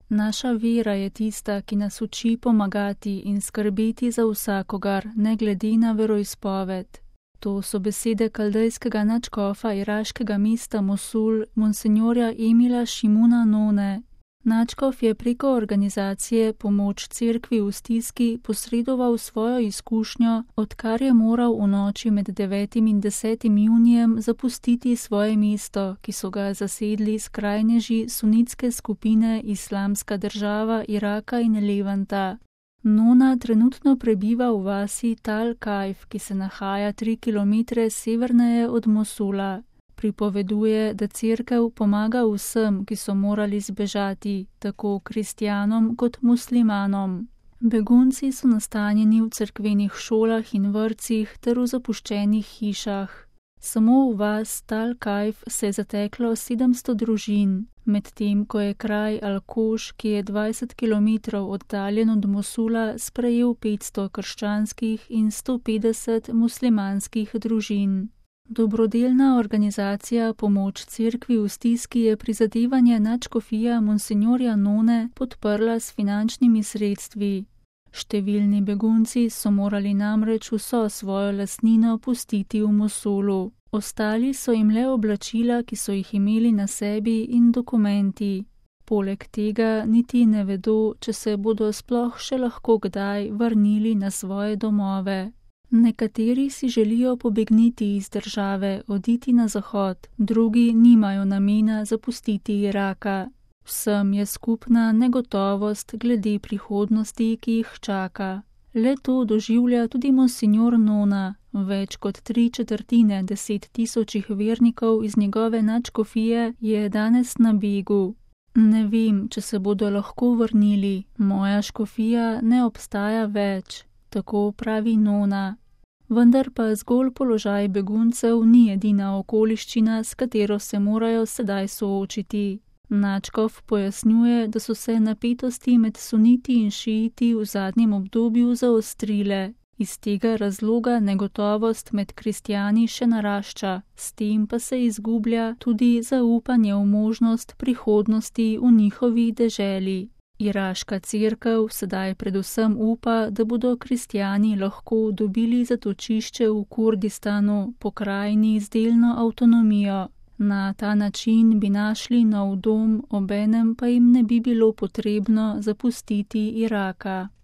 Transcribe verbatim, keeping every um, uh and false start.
Naša vera je tista, ki nas uči pomagati in skrbeti za vsakogar, ne glede na veroizpoved. To so besede kaldejskega nadškofa iraškega mesta Mosul, monsenjorja Emila Šimuna None. Nadškof je preko organizacije Pomoč cerkvi v stiski posredoval svojo izkušnjo, odkar je moral v noči med devetim in desetim junijem zapustiti svoje mesto, ki so ga zasedli skrajneži sunitske skupine Islamska država Iraka in Levanta. Nona trenutno prebiva v vasi Tal Kajf, ki se nahaja tri kilometre severneje od Mosula. Pripoveduje, da cerkev pomaga vsem, ki so morali zbežati, tako kristjanom kot muslimanom. Begunci so nastanjeni v cerkvenih šolah in vrtcih ter v zapuščenih hišah. Samo v vas Tal Kajf se je zateklo sedemsto družin, medtem ko je kraj Al-Koš, ki je dvajset kilometrov oddaljen od Mosula, sprejel petsto krščanskih in sto petdeset muslimanskih družin. Dobrodelna organizacija Pomoč cerkvi v stiski je prizadevanje nadškofija monsenjorja None podprla s finančnimi sredstvi. Številni begunci so morali namreč vso svojo lastnino pustiti v Mosulu. Ostali so jim le oblačila, ki so jih imeli na sebi, in dokumenti. Poleg tega niti ne vedo, če se bodo sploh še lahko kdaj vrnili na svoje domove. Nekateri si želijo pobegniti iz države, oditi na zahod, drugi nimajo namena zapustiti Iraka. Vsem je skupna negotovost glede prihodnosti, ki jih čaka. Le to doživlja tudi monsinjor Nona. Več kot tri četrtine deset tisočih vernikov iz njegove nadškofije je danes na begu. Ne vem, če se bodo lahko vrnili, moja škofija ne obstaja več, tako pravi Nona. Vendar pa zgolj položaj beguncev ni edina okoliščina, s katero se morajo sedaj soočiti. Nadškof pojasnjuje, da so se napetosti med suniti in šiiti v zadnjem obdobju zaostrile. Iz tega razloga negotovost med kristjani še narašča, s tem pa se izgublja tudi zaupanje v možnost prihodnosti v njihovi deželi. Iraška cerkev sedaj predvsem upa, da bodo kristjani lahko dobili zatočišče v Kurdistanu, pokrajini z delno avtonomijo. Na ta način bi našli nov dom, obenem pa jim ne bi bilo potrebno zapustiti Iraka.